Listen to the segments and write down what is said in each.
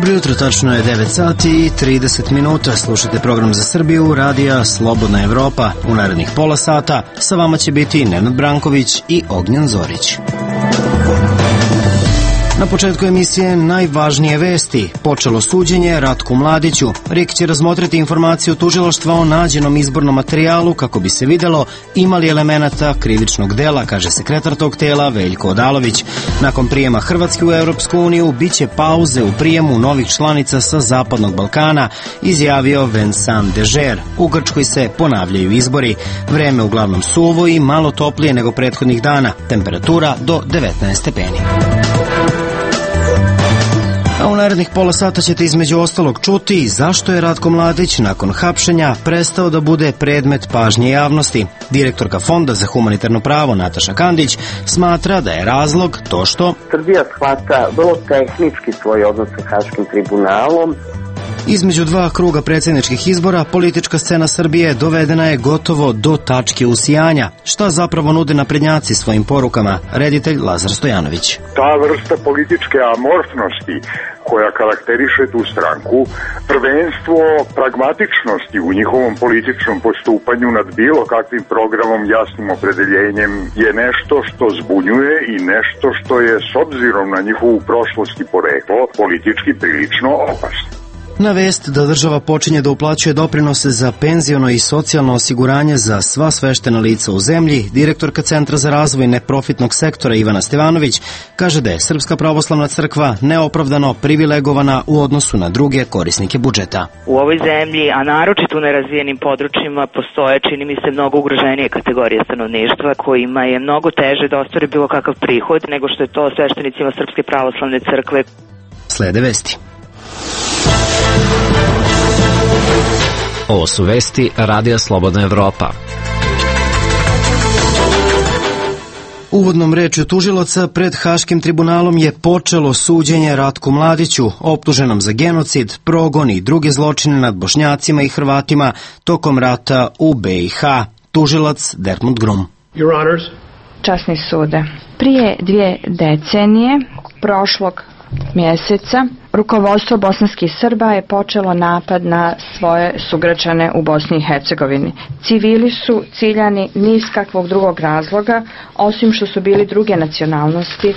Dobro jutro, tačno je 9 sati i 30 minuta. Slušajte program za Srbiju, radija Slobodna Evropa. U narednih pola sata sa vama će biti Nenad Branković i Ognjen Zorić. Na početku emisije najvažnije vesti. Počelo suđenje Ratku Mladiću. RIK će razmotriti informaciju tužilaštva o nađenom izbornom materijalu kako bi se videlo ima li elemenata krivičnog dela, kaže sekretar tog tela Veljko Odalović. Nakon prijema Hrvatske u Europsku uniju biće pauze u prijemu novih članica sa Zapadnog Balkana, izjavio Vincent Dežer. U Grčkoj se ponavljaju izbori. Vreme uglavnom suvo i malo toplije nego prethodnih dana. Temperatura do 19 stepeni. A u narednih pola sata ćete između ostalog čuti zašto je Ratko Mladić nakon hapšenja prestao da bude predmet pažnje javnosti. Direktorka Fonda za humanitarno pravo Nataša Kandić smatra da je razlog to što Srbija shvata vrlo tehnički svoj odnos sa Haškim tribunalom. Između dva kruga predsjedničkih izbora politička scena Srbije dovedena je gotovo do tačke usijanja. Šta zapravo nude naprednjaci svojim porukama? Reditelj Lazar Stojanović. Ta vrsta političke amorfnosti koja karakteriše tu stranku, prvenstvo pragmatičnosti u njihovom političnom postupanju nad bilo kakvim programom, jasnim opredeljenjem je nešto što zbunjuje i nešto što je s obzirom na njihovu prošlost i poreklo politički prilično opasno. Na vest da država počinje da uplaćuje doprinose za penziono i socijalno osiguranje za sva sveštena lica u zemlji, direktorka Centra za razvoj neprofitnog sektora Ivana Stevanović kaže da je Srpska pravoslavna crkva neopravdano privilegovana u odnosu na druge korisnike budžeta. U ovoj zemlji, a naročito u nerazvijenim područjima, postoje, čini mi se, mnogo ugroženije kategorije stanovništva kojima je mnogo teže da ostvare bilo kakav prihod nego što je to sveštenicima Srpske pravoslavne crkve. Slede vesti. Ovo su vesti Radija Slobodna Evropa. Uvodnom rečju tužilaca pred Haškim tribunalom je počelo suđenje Ratku Mladiću, optuženom za genocid, progon i druge zločine nad Bošnjacima i Hrvatima tokom rata u BiH. Tužilac Dermot Grum. Your Honors. Časni sude, prije 2 decenije, prošlog mjeseca, rukovodstvo bosanskih Srba je počelo napad na svoje sugrađane u Bosni i Hercegovini. Civili su ciljani ni iz kakvog drugog razloga, osim što su bili druge nacionalnosti,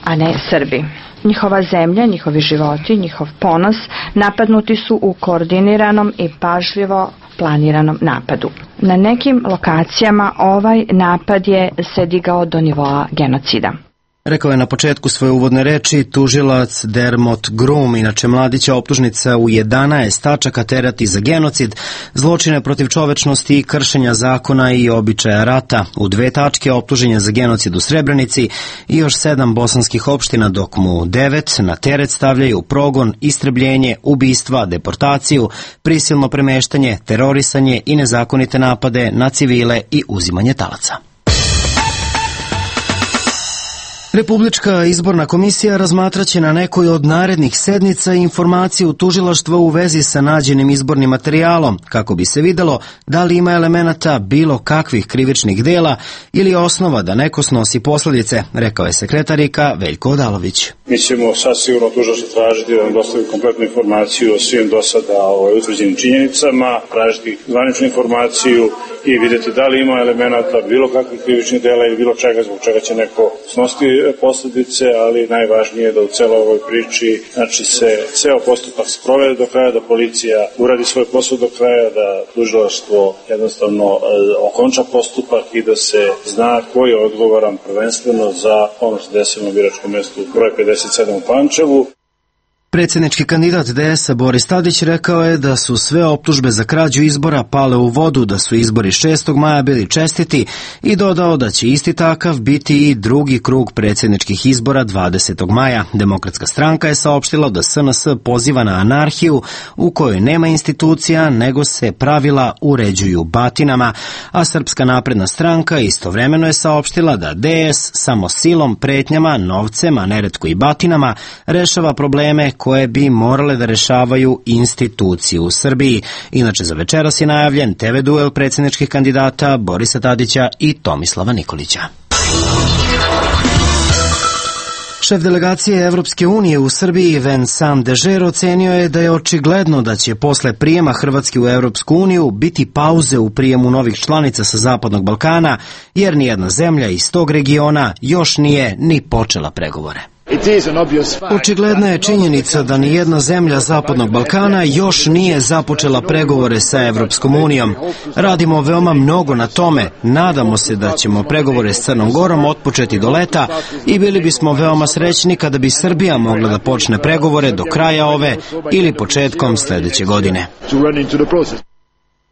a ne Srbi. Njihova zemlja, njihovi životi, njihov ponos napadnuti su u koordiniranom i pažljivo planiranom napadu. Na nekim lokacijama ovaj napad je se digao do nivoa genocida. Rekao je na početku svoje uvodne reči tužilac Dermot Grum. Inače, Mladića optužnica u 11 tačaka terati za genocid, zločine protiv čovečnosti i kršenja zakona i običaja rata. U 2 tačke optuženja za genocid u Srebrenici i još 7 bosanskih opština, dok mu 9 na teret stavljaju progon, istrebljenje, ubistva, deportaciju, prisilno premeštanje, terorisanje i nezakonite napade na civile i uzimanje talaca. Republička izborna komisija razmatraće na nekoj od narednih sednica informaciju tužilaštva u vezi sa nađenim izbornim materijalom, kako bi se videlo da li ima elemenata bilo kakvih krivičnih dela ili osnova da neko snosi posljedice, rekao je sekretarika Veljko Odalović. Mi ćemo sasvigurno tužilaštvo tražiti da nam dostavi kompletnu informaciju o svim do sada utvrđenim činjenicama, tražiti zvaničnu informaciju i vidjeti da li ima elemenata bilo kakvih krivičnih dela ili bilo čega zbog čega će neko snositi posljedice, ali najvažnije je da u celoj ovoj priči se ceo postupak sprovede do kraja, da policija uradi svoj posao do kraja, da tužilaštvo jednostavno okonča postupak i da se zna ko je odgovoran prvenstveno za ono što desilo na biračkom mjestu broj 57 u Pančevu. Predsjednički kandidat DS-a Boris Tadić rekao je da su sve optužbe za krađu izbora pale u vodu, da su izbori 6. maja bili čestiti i dodao da će isti takav biti i drugi krug predsjedničkih izbora 20. maja. Demokratska stranka je saopštila da SNS poziva na anarhiju u kojoj nema institucija nego se pravila uređuju batinama, a Srpska napredna stranka istovremeno je saopštila da DS samo silom, pretnjama, novcem, a neretko i batinama rešava probleme koje bi morale da rešavaju institucije u Srbiji. Inače, za večeras je najavljen TV duel predsjedničkih kandidata Borisa Tadića i Tomislava Nikolića. Šef delegacije Evropske unije u Srbiji Vincent Dežer ocenio je da je očigledno da će posle prijema Hrvatske u Evropsku uniju biti pauze u prijemu novih članica sa Zapadnog Balkana, jer nijedna zemlja iz tog regiona još nije ni počela pregovore. Očigledna je činjenica da nijedna zemlja Zapadnog Balkana još nije započela pregovore sa Evropskom unijom. Radimo veoma mnogo na tome, nadamo se da ćemo pregovore s Crnom Gorom otpočeti do leta i bili bismo veoma srećni kada bi Srbija mogla da počne pregovore do kraja ove ili početkom sledeće godine.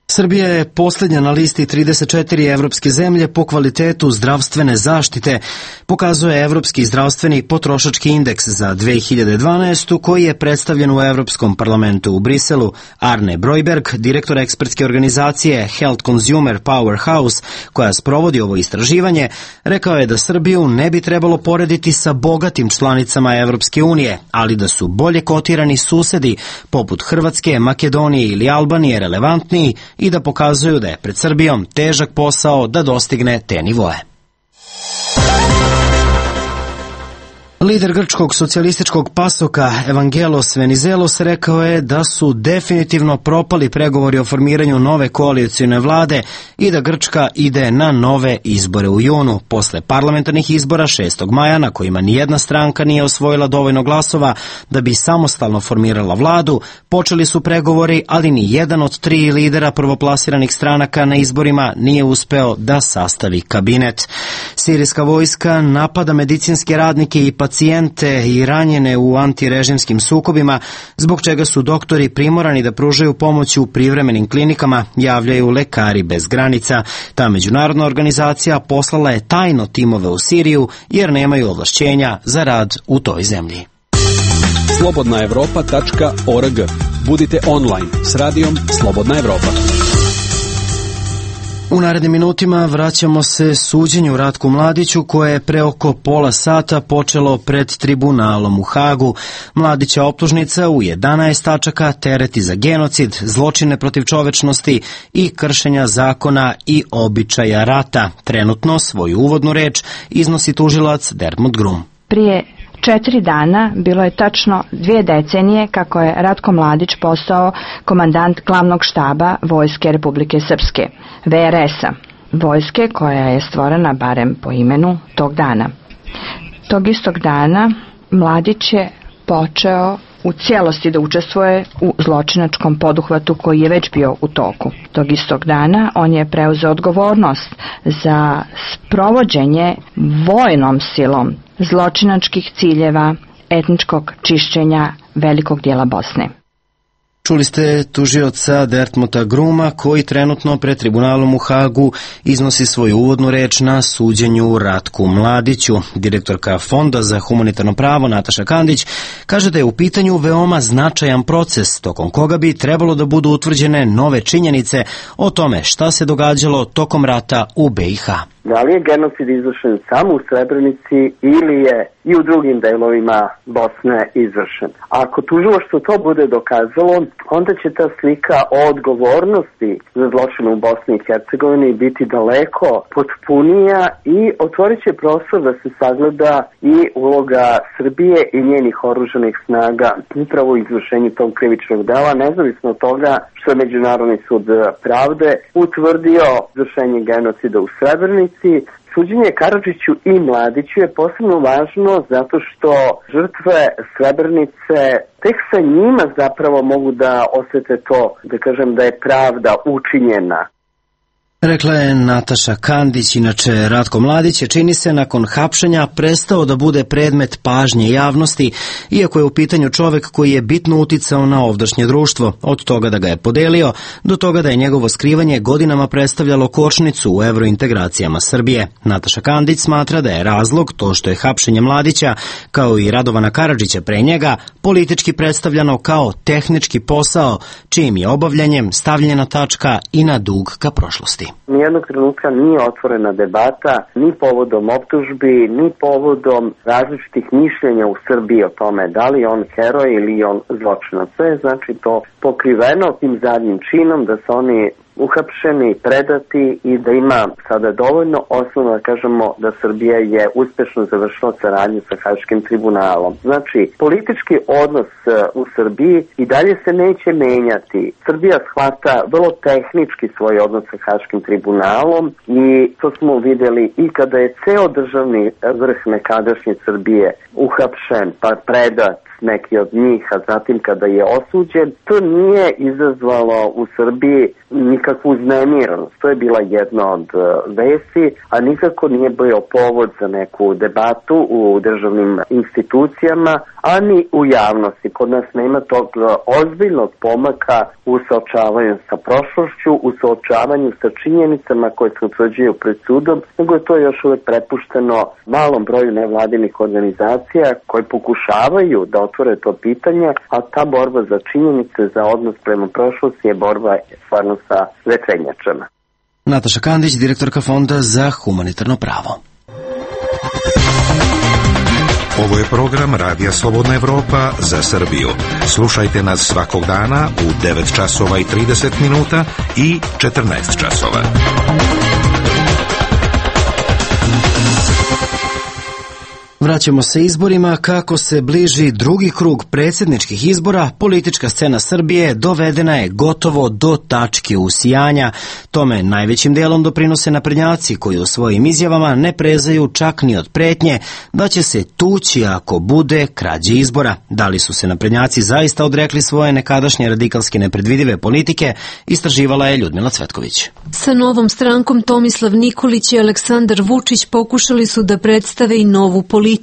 Srbija je posljednja na listi 34 evropske zemlje po kvalitetu zdravstvene zaštite, pokazuje Evropski zdravstveni potrošački indeks za 2012. koji je predstavljen u Evropskom parlamentu u Briselu. Arne Brojberg, direktor ekspertske organizacije Health Consumer Powerhouse, koja sprovodi ovo istraživanje, rekao je da Srbiju ne bi trebalo porediti sa bogatim članicama Evropske unije, ali da su bolje kotirani susedi poput Hrvatske, Makedonije ili Albanije relevantniji i da pokazuju da je pred Srbijom težak posao da dostigne te nivoe. Lider grčkog socijalističkog pasoka Evangelos Venizelos rekao je da su definitivno propali pregovori o formiranju nove koalicijne vlade i da Grčka ide na nove izbore u junu. Posle parlamentarnih izbora 6. maja, na kojima nijedna stranka nije osvojila dovoljno glasova da bi samostalno formirala vladu, počeli su pregovori, ali ni jedan od 3 lidera prvoplasiranih stranaka na izborima nije uspeo da sastavi kabinet. Sirijska vojska napada medicinske radnike i pacijente i ranjene u antirežimskim sukobima, zbog čega su doktori primorani da pružaju pomoć u privremenim klinikama, javljaju Lekari bez granica. Ta međunarodna organizacija poslala je tajno timove u Siriju jer nemaju ovlašćenja za rad u toj zemlji. slobodnaevropa.org. Budite online s radijom Slobodna Evropa. U narednim minutima vraćamo se suđenju Ratku Mladiću koje je pre oko pola sata počelo pred tribunalom u Hagu. Mladića optužnica u 11 tačaka tereti za genocid, zločine protiv čovečnosti i kršenja zakona i običaja rata. Trenutno svoju uvodnu reč iznosi tužilac Dermot Grum. Prije 4 dana bilo je tačno 2 decenije kako je Ratko Mladić postao komandant glavnog štaba Vojske Republike Srpske, VRS-a, vojske koja je stvorena barem po imenu tog dana. Tog istog dana Mladić je počeo u cijelosti da učestvuje u zločinačkom poduhvatu koji je već bio u toku. Tog istog dana on je preuzeo odgovornost za sprovođenje vojnom silom zločinačkih ciljeva etničkog čišćenja velikog dijela Bosne. Čuli ste tužioca Dermota Gruma koji trenutno pred tribunalom u Hagu iznosi svoju uvodnu reč na suđenju Ratku Mladiću. Direktorka Fonda za humanitarno pravo Nataša Kandić kaže da je u pitanju veoma značajan proces tokom koga bi trebalo da budu utvrđene nove činjenice o tome šta se događalo tokom rata u BiH. Da li je genocid izvršen samo u Srebrenici ili je i u drugim delovima Bosne izvršen? Ako tužilaštvo to bude dokazalo, onda će ta slika o odgovornosti za zločine u Bosni i Hercegovini biti daleko potpunija i otvorit će prostor da se sagleda i uloga Srbije i njenih oružanih snaga upravo u izvršenju tog krivičnog dela, nezavisno od toga što je Međunarodni sud pravde utvrdio izvršenje genocida u Srebrenici. Suđenje Karadžiću i Mladiću je posebno važno zato što žrtve Srebrenice tek sa njima zapravo mogu da osete to, da kažem, da je pravda učinjena. Rekla je Nataša Kandić. Inače, Ratko Mladić je, čini se, nakon hapšenja prestao da bude predmet pažnje javnosti, iako je u pitanju čovek koji je bitno uticao na ovdašnje društvo, od toga da ga je podelio, do toga da je njegovo skrivanje godinama predstavljalo kočnicu u evrointegracijama Srbije. Nataša Kandić smatra da je razlog to što je hapšenje Mladića, kao i Radovana Karadžića pre njega, politički predstavljano kao tehnički posao, čijim je obavljanjem stavljena tačka i na dug ka prošlosti. Nijednog trenutka nije otvorena debata ni povodom optužbi, ni povodom različitih mišljenja u Srbiji o tome da li je on heroj ili on zločinac. Sve je znači to pokriveno tim zadnjim činom da se oni uhapšeni, predati i da ima sada dovoljno osnovno da kažemo da Srbija je uspešno završila saradnju sa Haškim tribunalom. Znači, politički odnos u Srbiji i dalje se neće menjati. Srbija shvata vrlo tehnički svoj odnos sa Haškim tribunalom i to smo vidjeli i kada je ceo državni vrh nekadašnje Srbije uhapšen pa predat neki od njih, a zatim kada je osuđen, to nije izazvalo u Srbiji nikakvu uznemirenost. To je bila jedna od vesti, a nikako nije bio povod za neku debatu u državnim institucijama, ani u javnosti. Kod nas nema tog ozbiljnog pomaka u suočavanju sa prošlošću, u suočavanju sa činjenicama koje se utvrđuju pred sudom, nego je to još uvek prepušteno malom broju nevladinih organizacija koji pokušavaju da otvore to pitanje, a ta borba za činjenice, za odnos prema prošlosti je borba stvarno sa vetrenjačama. Nataša Kandić, direktorka Fonda za humanitarno pravo. Ovo je program Radija Slobodna Evropa za Srbiju. Slušajte nas svakog dana u 9 časova i 30 minuta i 14 časova. Vraćamo se izborima. Kako se bliži drugi krug predsjedničkih izbora, politička scena Srbije dovedena je gotovo do tačke usijanja. Tome najvećim dijelom doprinose naprednjaci koji u svojim izjavama ne prezaju čak ni od pretnje da će se tući ako bude krađe izbora. Da li su se naprednjaci zaista odrekli svoje nekadašnje radikalske nepredvidive politike, istraživala je Ljudmila Cvetković. Sa novom strankom Tomislav Nikolić i Aleksandar Vučić pokušali su da predstave i novu politiku,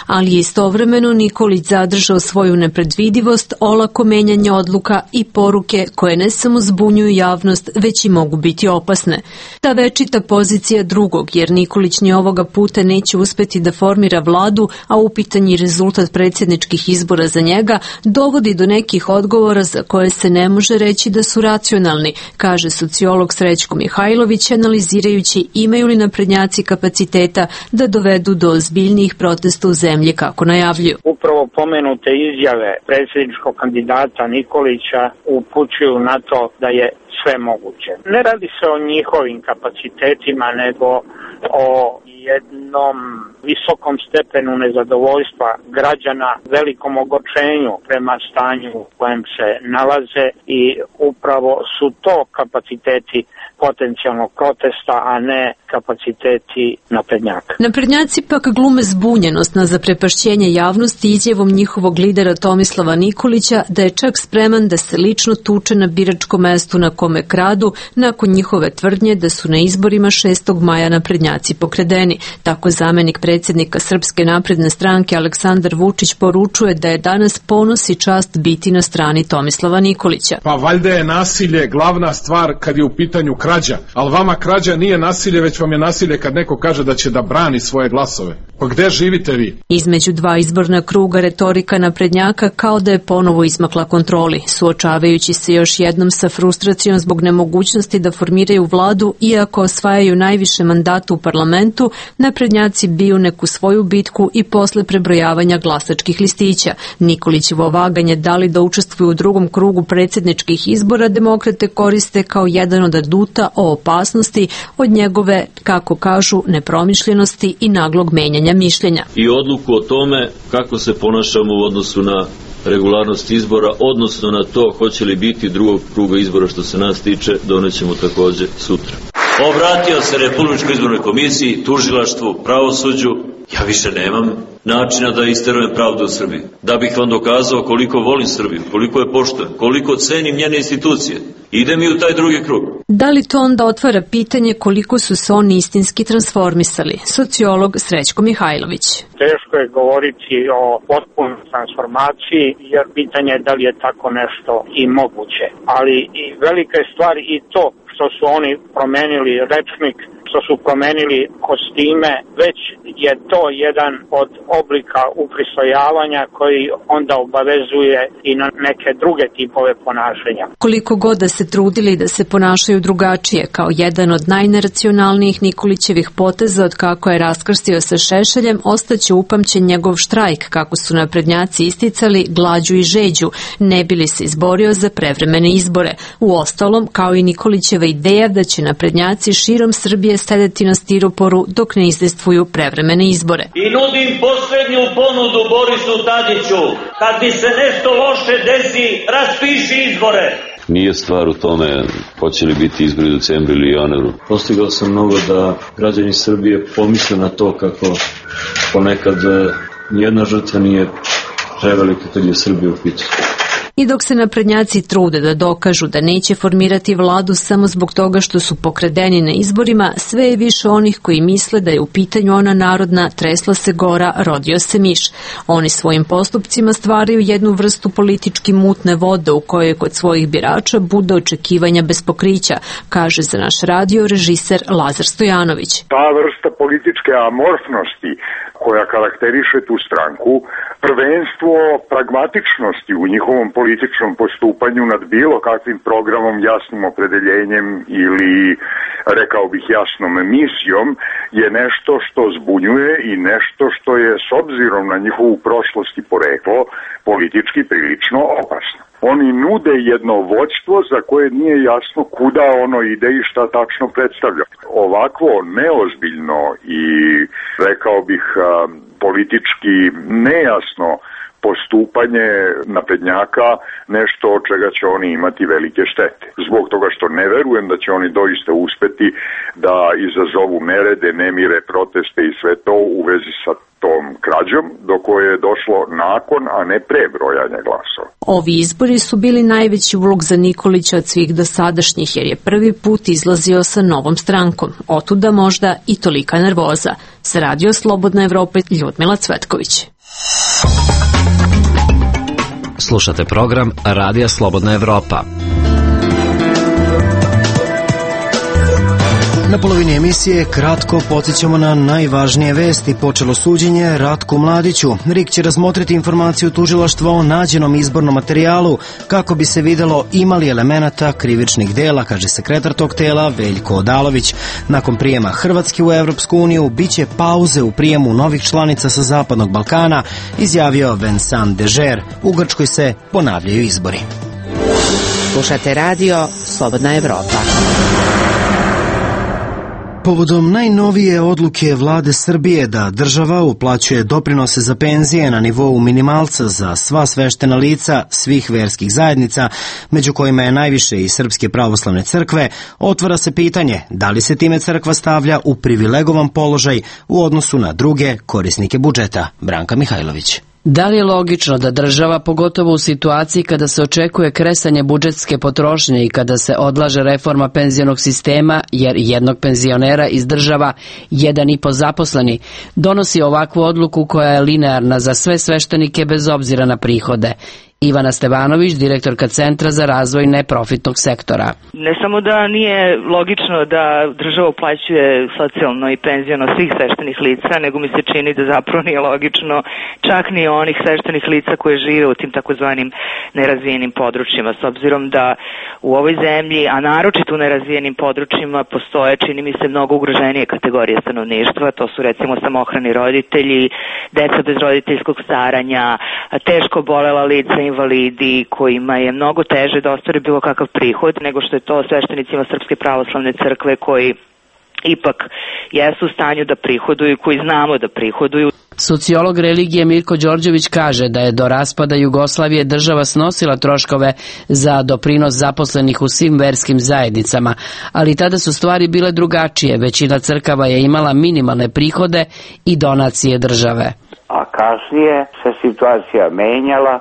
ali je istovremeno Nikolić zadržao svoju nepredvidivost, olako menjanje odluka i poruke koje ne samo zbunjuju javnost, već i mogu biti opasne. Ta večita pozicija drugog, jer Nikolić ni ovoga puta neće uspeti da formira vladu, a upitanji rezultat predsjedničkih izbora za njega dovodi do nekih odgovora za koje se ne može reći da su racionalni, kaže sociolog Srećko Mihajlović, analizirajući imaju li naprednjaci kapaciteta da dovedu do ozbiljnijih protesta u zemlji kako najavljuju. Upravo pomenute izjave predsjedničkog kandidata Nikolića upućuju na to da je sve moguće. Ne radi se o njihovim kapacitetima, nego o jednom visokom stepenu nezadovoljstva građana, velikom ogorčenju prema stanju u kojem se nalaze i upravo su to kapaciteti potencijalnog protesta, a ne kapaciteti naprednjaka. Naprednjaci pak glume zbunjenost na zaprepašćenje javnosti izjavom njihovog lidera Tomislava Nikolića da je čak spreman da se lično tuče na biračkom mestu na kome kradu nakon njihove tvrdnje da su na izborima 6. maja naprednjaci pokradeni. Tako zamenik predsjednika Srpske napredne stranke Aleksandar Vučić poručuje da je danas ponos i čast biti na strani Tomislava Nikolića. Pa valjda je nasilje glavna stvar kad je u pitanju krađa, ali vama krađa nije nasilje, već vam je nasilje kad neko kaže da će da brani svoje glasove. Pa gde živite vi? Između dva izborna kruga retorika naprednjaka kao da je ponovo izmakla kontroli, suočavajući se još jednom sa frustracijom zbog nemogućnosti da formiraju vladu, iako osvajaju najviše mandata u parlamentu, naprednjaci biju neku svoju bitku i posle prebrojavanja glasačkih listića. Nikolićevo vaganje da li da učestvuju u drugom krugu predsjedničkih izbora demokrate koriste kao jedan od aduta o opasnosti od njegove, kako kažu, nepromišljenosti i naglog menjanja mišljenja. I odluku o tome kako se ponašamo u odnosu na regularnost izbora, odnosno na to hoće li biti drugog kruga izbora što se nas tiče, donećemo također sutra. Obratio se Republičkoj izbornoj komisiji, tužilaštvu, pravosuđu. Ja više nemam načina da isterujem pravdu u Srbiji. Da bih vam dokazao koliko volim Srbiju, koliko je poštujem, koliko cenim njene institucije. Ide mi u taj drugi krug. Da li to onda otvara pitanje koliko su se oni istinski transformisali? Sociolog Srećko Mihajlović. Teško je govoriti o potpunoj transformaciji, jer pitanje je da li je tako nešto i moguće. Ali i velika je stvar i to što su oni promenili rečnik, što su promenili kostime, već je to jedan od oblika upristojavanja koji onda obavezuje i na neke druge tipove ponašanja. Koliko god da se trudili da se ponašaju drugačije, kao jedan od najneracionalnijih Nikolićevih poteza od kako je raskrstio sa Šešeljem, ostaće upamćen njegov štrajk, kako su naprednjaci isticali glađu i žeđu, ne bi li se izborio za prevremene izbore. Uostalom, kao i Nikolićeva ideja da će naprednjaci širom Srbije sedeti na stiroporu dok ne izdejstvuju prevremene izbore. I nudim poslednju ponudu Borisu Tadiću, kad bi se nešto loše desi, raspiši izbore. Nije stvar u tome hoće li biti izbori u decembru ili januaru. Postigao sam mnogo da građani Srbije pomisle na to kako ponekad nijedna žrtva nije prevelika kad je Srbija u pitanju. I dok se naprednjaci trude da dokažu da neće formirati vladu samo zbog toga što su pokradeni na izborima, sve je više onih koji misle da je u pitanju ona narodna tresla se gora, rodio se miš. Oni svojim postupcima stvaraju jednu vrstu politički mutne vode u kojoj kod svojih birača bude očekivanja bez pokrića, kaže za naš radio režiser Lazar Stojanović. Ta vrsta političke amorfnosti koja karakteriše tu stranku, prvenstvo pragmatičnosti u njihovom političnom postupanju nad bilo kakvim programom, jasnim opredeljenjem ili, rekao bih, jasnom misijom, je nešto što zbunjuje i nešto što je, s obzirom na njihovu prošlost i poreklo, politički prilično opasno. Oni nude jedno vođstvo za koje nije jasno kuda ono ide i šta tačno predstavlja. Ovakvo neozbiljno i, rekao bih, politički nejasno postupanje naprednjaka nešto od čega će oni imati velike štete. Zbog toga što ne verujem da će oni doista uspeti da izazovu nerede, nemire, proteste i sve to u vezi sa tom krađom do koje je došlo nakon, a ne pre brojanja glasova. Ovi izbori su bili najveći ulog za Nikolića od svih dosadašnjih, jer je prvi put izlazio sa novom strankom. Otuda možda i tolika nervoza. Sa Radio Slobodna Evropa, Ljudmila Cvetković. Slušate program Radija Slobodna Evropa. Na polovini emisije kratko podsjećamo na najvažnije vesti. Počelo suđenje Ratku Mladiću. RIK će razmotriti informaciju tužilaštva o nađenom izbornom materijalu kako bi se videlo imali elemenata krivičnih dela, kaže sekretar tog tela Veljko Odalović. Nakon prijema Hrvatske u Evropsku uniju biće pauze u prijemu novih članica sa Zapadnog Balkana, izjavio Vincent Dežer. U Grčkoj se ponavljaju izbori. Slušate radio Slobodna Evropa. Povodom najnovije odluke vlade Srbije da država uplaćuje doprinose za penzije na nivou minimalca za sva sveštena lica svih verskih zajednica, među kojima je najviše i Srpske pravoslavne crkve, otvara se pitanje da li se time crkva stavlja u privilegovan položaj u odnosu na druge korisnike budžeta. Branka Mihajlović. Da li je logično da država, pogotovo u situaciji kada se očekuje kresanje budžetske potrošnje i kada se odlaže reforma penzionog sistema, jer jednog penzionera izdržava 1,5 zaposleni, donosi ovakvu odluku koja je linearna za sve sveštenike bez obzira na prihode? Ivana Stevanović, direktorka Centra za razvoj neprofitnog sektora. Ne samo da nije logično da država uplaćuje socijalno i penziono svih sveštenih lica, nego mi se čini da zapravo nije logično čak ni onih sveštenih lica koje žive u tim takozvanim nerazvijenim područjima, s obzirom da u ovoj zemlji, a naročito u nerazvijenim područjima, postoje, čini mi se, mnogo ugroženije kategorije stanovništva. To su recimo samohrani roditelji, deca bez roditeljskog staranja, teško bolela lica, invalidi kojima je mnogo teže da ostvare bilo kakav prihod nego što je to sveštenicima Srpske pravoslavne crkve koji ipak jesu u stanju da prihoduju, koji znamo da prihoduju. Sociolog religije Mirko Đorđević kaže da je do raspada Jugoslavije država snosila troškove za doprinos zaposlenih u svim verskim zajednicama, ali tada su stvari bile drugačije. Većina crkava je imala minimalne prihode i donacije države. A kasnije se situacija menjala,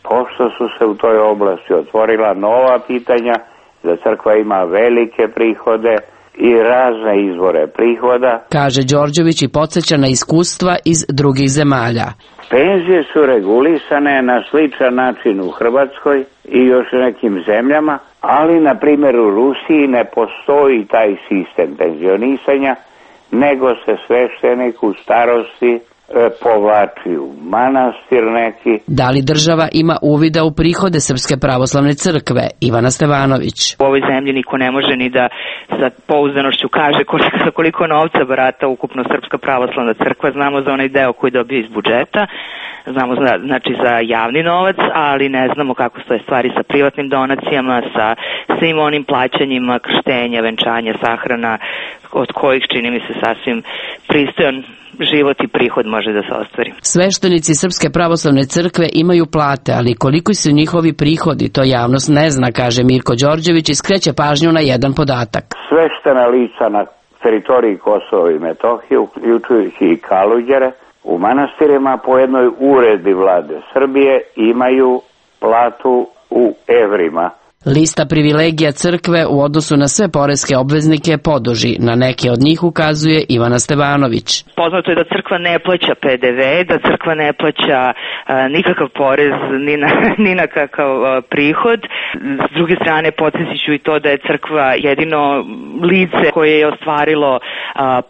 pošto su se u toj oblasti otvorila nova pitanja, da crkva ima velike prihode i razne izvore prihoda, kaže Đorđević i podsjeća na iskustva iz drugih zemalja. Penzije su regulisane na sličan način u Hrvatskoj i još u nekim zemljama, Ali, na primjer, u Rusiji ne postoji taj sistem penzionisanja, nego se sveštenik u starosti povlači u manastir neki. Da li država ima uvida u prihode Srpske pravoslavne crkve? Ivana Stevanović. U ovoj zemlji niko ne može ni da sa pouzdanošću kaže koliko novca barata ukupno Srpska pravoslavna crkva. Znamo za onaj deo koji dobije iz budžeta, znamo znači za javni novac, ali ne znamo kako stoje stvari sa privatnim donacijama, sa svim onim plaćanjima, krštenja, venčanja, sahrana, od kojih čini mi se sasvim pristojan život i prihod može da se ostvari. Sveštenici Srpske pravoslavne crkve imaju plate, ali koliko su njihovi prihodi, to javnost ne zna, kaže Mirko Đorđević i skreće pažnju na jedan podatak. Sveštena lica na teritoriji Kosova i Metohije, uključujući i Kaluđere, u manastirima po jednoj uredbi vlade Srbije imaju platu u evrima. Lista privilegija crkve u odnosu na sve poreske obveznike poduži. Na neke od njih ukazuje Ivana Stevanović. Poznato je da crkva ne plaća PDV, da crkva ne plaća nikakav porez ni na kakav prihod. S druge strane, podsjetit ću i to da je crkva jedino lice koje je ostvarilo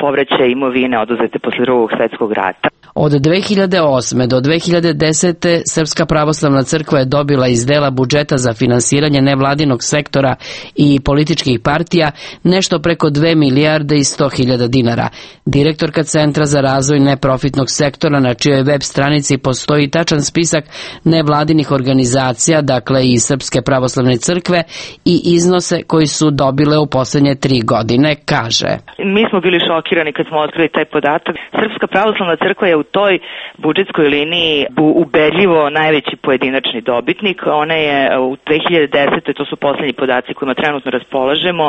povraćaj imovine oduzete posle Drugog svjetskog rata. Od 2008. do 2010. Srpska pravoslavna crkva je dobila iz dela budžeta za finansiranje nevladinog sektora i političkih partija nešto preko 2 milijarde i 100.000 dinara. Direktorka Centra za razvoj neprofitnog sektora, na čijoj web stranici postoji tačan spisak nevladinih organizacija, dakle i Srpske pravoslavne crkve, i iznose koji su dobile u poslednje 3 godine, kaže. Mi smo bili šokirani kad smo otkrili taj podatak. Srpska pravoslavna crkva je u toj budžetskoj liniji ubedljivo najveći pojedinačni dobitnik. Ona je u 2010. to su poslednji podaci kojima trenutno raspolažemo,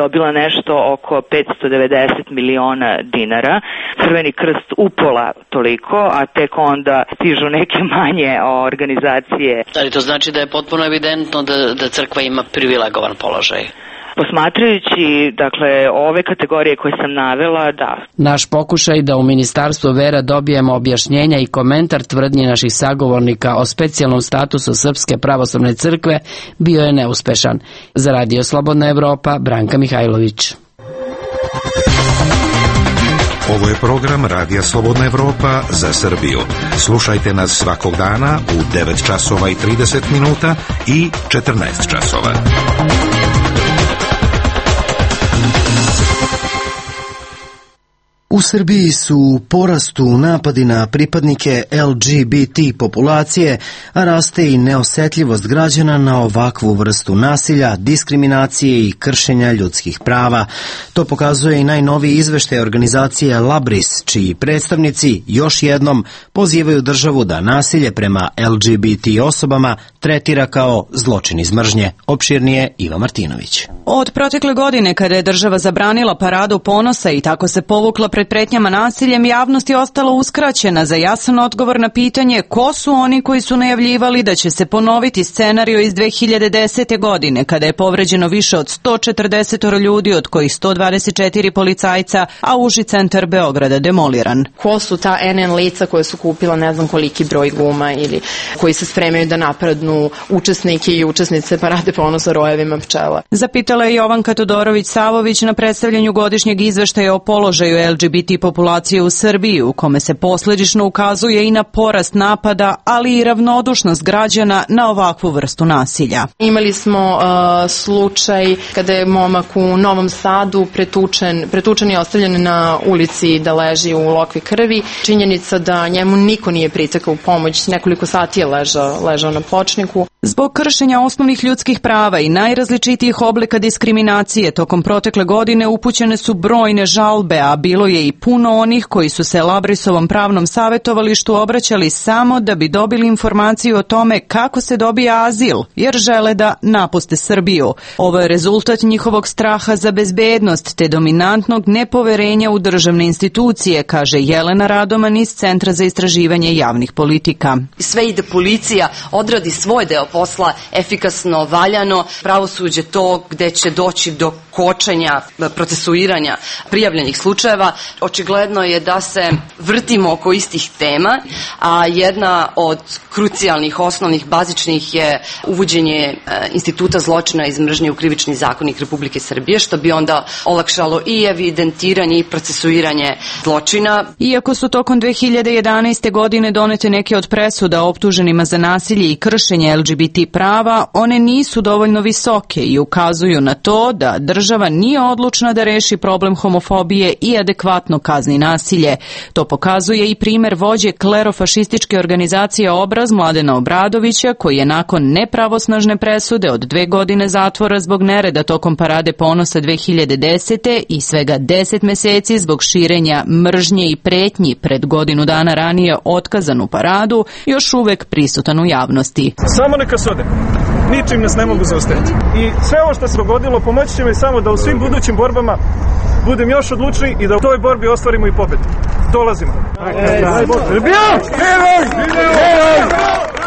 dobila nešto oko 590 miliona dinara. Crveni krst upola toliko, a tek onda stižu neke manje organizacije. Ali to znači da je potpuno evidentno da crkva ima privilegovan položaj? Posmatrajući, dakle, ove kategorije koje sam navela, da. Naš pokušaj da u Ministarstvu vera dobijemo objašnjenja i komentar tvrdnje naših sagovornika o specijalnom statusu Srpske pravoslavne crkve bio je neuspešan. Za Radio Slobodna Evropa, Branka Mihajlović. Ovo je program Radija Slobodna Evropa za Srbiju. Slušajte nas svakog dana u 9 časova i 30 minuta i 14 časova. U Srbiji su u porastu napadi na pripadnike LGBT populacije, a raste i neosetljivost građana na ovakvu vrstu nasilja, diskriminacije i kršenja ljudskih prava. To pokazuje i najnoviji izveštaj organizacije Labris, čiji predstavnici još jednom pozivaju državu da nasilje prema LGBT osobama tretira kao zločin iz mržnje. Opširnije Iva Martinović. Od protekle godine, kada je država zabranila paradu ponosa i tako se povukla pred pretnjama nasiljem, javnost je ostala uskraćena za jasan odgovor na pitanje ko su oni koji su najavljivali da će se ponoviti scenario iz 2010. godine, kada je povređeno više od 140 ljudi, od kojih 124 policajca, a uži centar Beograda demoliran. Ko su ta NN lica koje su kupila ne znam koliki broj guma ili koji se spremaju da napadnu učesnike i učesnice parade ponosa rojevima pčela? Zapitala je Jovanka Todorović-Savović na predstavljanju godišnjeg izveštaja o položaju LGBT populacije u Srbiji, u kome se posledično ukazuje i na porast napada, ali i ravnodušnost građana na ovakvu vrstu nasilja. Imali smo slučaj kada je momak u Novom Sadu pretučen i ostavljen na ulici da leži u lokvi krvi. Činjenica da njemu niko nije pritekao u pomoć, nekoliko sati je ležao na pločniku. Zbog kršenja osnovnih ljudskih prava i najrazličitijih oblika diskriminacije tokom protekle godine upućene su brojne žalbe, a bilo je i puno onih koji su se Labrisovom pravnom savjetovalištu obraćali samo da bi dobili informaciju o tome kako se dobija azil, jer žele da napuste Srbiju. Ovo je rezultat njihovog straha za bezbednost te dominantnog nepoverenja u državne institucije, kaže Jelena Radoman iz Centra za istraživanje javnih politika. Sve i da policija odradi svoj deo posla efikasno, valjano, pravosuđe to gde će doći do kočenja, procesuiranja prijavljenih slučajeva. Očigledno je da se vrtimo oko istih tema, a jedna od krucijalnih, osnovnih, bazičnih je uvođenje instituta zločina iz mržnje u Krivični zakonik Republike Srbije, što bi onda olakšalo i evidentiranje i procesuiranje zločina. Iako su tokom 2011. godine donete neke od presuda optuženima za nasilje i kršenje LGBT prava, one nisu dovoljno visoke i ukazuju na to da država nije odlučna da reši problem homofobije i adekvatno kazni nasilje. To pokazuje i primer vođe klerofašističke organizacije Obraz Mladena Obradovića, koji je nakon nepravosnažne presude od 2 godine zatvora zbog nereda tokom Parade ponosa 2010. i svega 10 meseci zbog širenja mržnje i pretnji pred godinu dana ranije otkazanu paradu, još uvek prisutan u javnosti. Samo neka se ode. Ničim nas ne mogu zaustaviti. I sve ovo što se dogodilo pomoći će mi samo da u svim budućim borbama budem još odlučniji i da u toj borbi ostvarimo i pobedu. Dolazimo.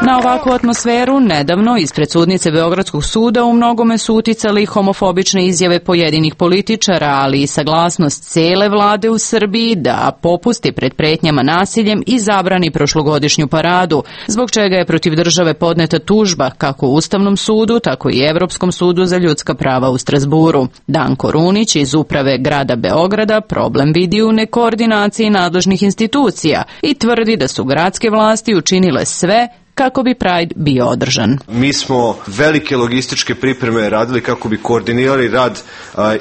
Na ovakvu atmosferu nedavno ispred sudnice Beogradskog suda u mnogome su uticali homofobične izjave pojedinih političara, ali i saglasnost cele vlade u Srbiji da popusti pred pretnjama nasiljem i zabrani prošlogodišnju paradu, zbog čega je protiv države podneta tužba kako u Ustavnom sudu, tako i Evropskom sudu za ljudska prava u Strazburu. Danko Runić iz uprave grada Beograda problem vidi u nekoordinaciji nadležnih institucija i tvrdi da su gradske vlasti učinile sve kako bi Pride bio održan. Mi smo velike logističke pripreme radili kako bi koordinirali rad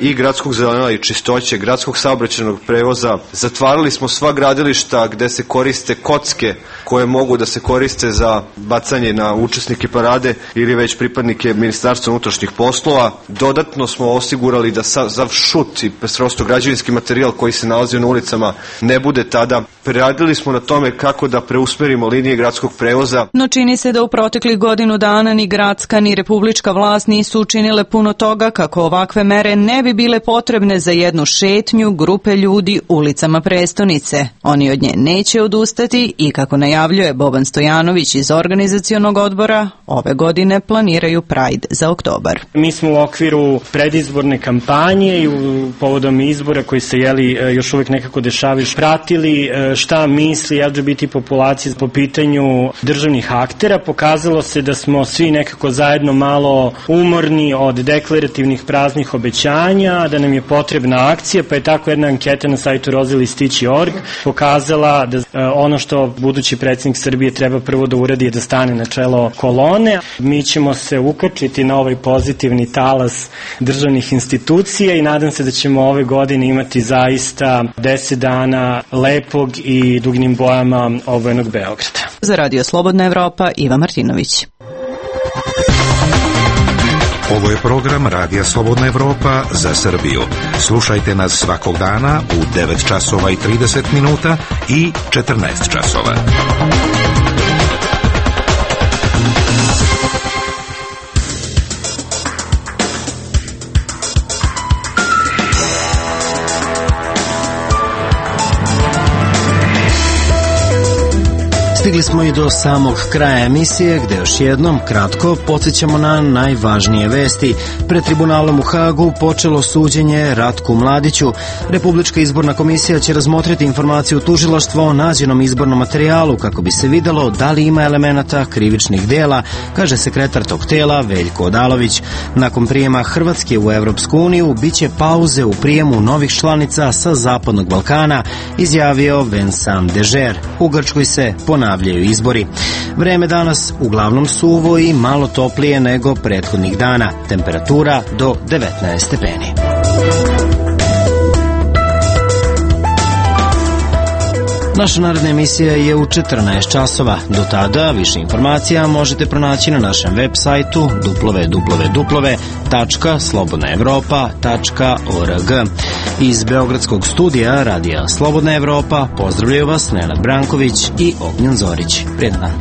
i gradskog zelena i čistoće, gradskog saobraćajnog prevoza. Zatvarali smo sva gradilišta gde se koriste kocke koje mogu da se koriste za bacanje na učesnike parade ili već pripadnike Ministarstva unutrašnjih poslova. Dodatno smo osigurali da za šut i prosto građevinski materijal koji se nalazi na ulicama ne bude tada. Preradili smo na tome kako da preusmerimo linije gradskog prevoza. No čini se da u proteklih godinu dana ni gradska ni republička vlast nisu učinile puno toga kako ovakve mere ne bi bile potrebne za jednu šetnju grupe ljudi ulicama prestonice. Oni od nje neće odustati i kako najavljuje Boban Stojanović iz organizacionog odbora, ove godine planiraju Pride za oktobar. Mi smo u okviru predizborne kampanje i povodom izbora koji se još uvek nekako dešavaju pratili šta misli LGBT populacija po pitanju državnih aktera. Pokazalo se da smo svi nekako zajedno malo umorni od deklarativnih praznih obećanja, da nam je potrebna akcija, pa je tako jedna anketa na sajtu rozalistići.org pokazala da ono što budući predsjednik Srbije treba prvo da uradi je da stane na čelo kolone. Mi ćemo se ukačiti na ovaj pozitivni talas državnih institucija i nadam se da ćemo ove godine imati zaista 10 dana lepog i dugnim bojama obojenog Beograda. Za Radio Slobodna Evropa, Iva Martinović. Ovo je program Radija Slobodna Evropa za Srbiju. Slušajte nas svakog dana u 9 časova i 30 minuta i 14 časova. Stigli smo i do samog kraja emisije, gde još jednom kratko podsjećamo na najvažnije vesti. Pred tribunalom u Hagu počelo suđenje Ratku Mladiću. Republička izborna komisija će razmotriti informaciju tužilaštva o nađenom izbornom materijalu kako bi se videlo da li ima elemenata krivičnih dela, kaže sekretar tog tela Veljko Odalović. Nakon prijema Hrvatske u Evropsku uniju biće pauze u prijemu novih članica sa Zapadnog Balkana, izjavio Vincent Dežer. U Grčkoj se ponavljaju izbori. Vreme danas uglavnom suvo i malo toplije nego prethodnih dana. Temperatura do 19 stepeni. Naša naredna emisija je u 14 časova. Do tada više informacija možete pronaći na našem web sajtu www.slobodnaevropa.org. Iz Beogradskog studija Radija Slobodna Evropa pozdravljaju vas Nenad Branković i Ognjen Zorić. Prijetan dan.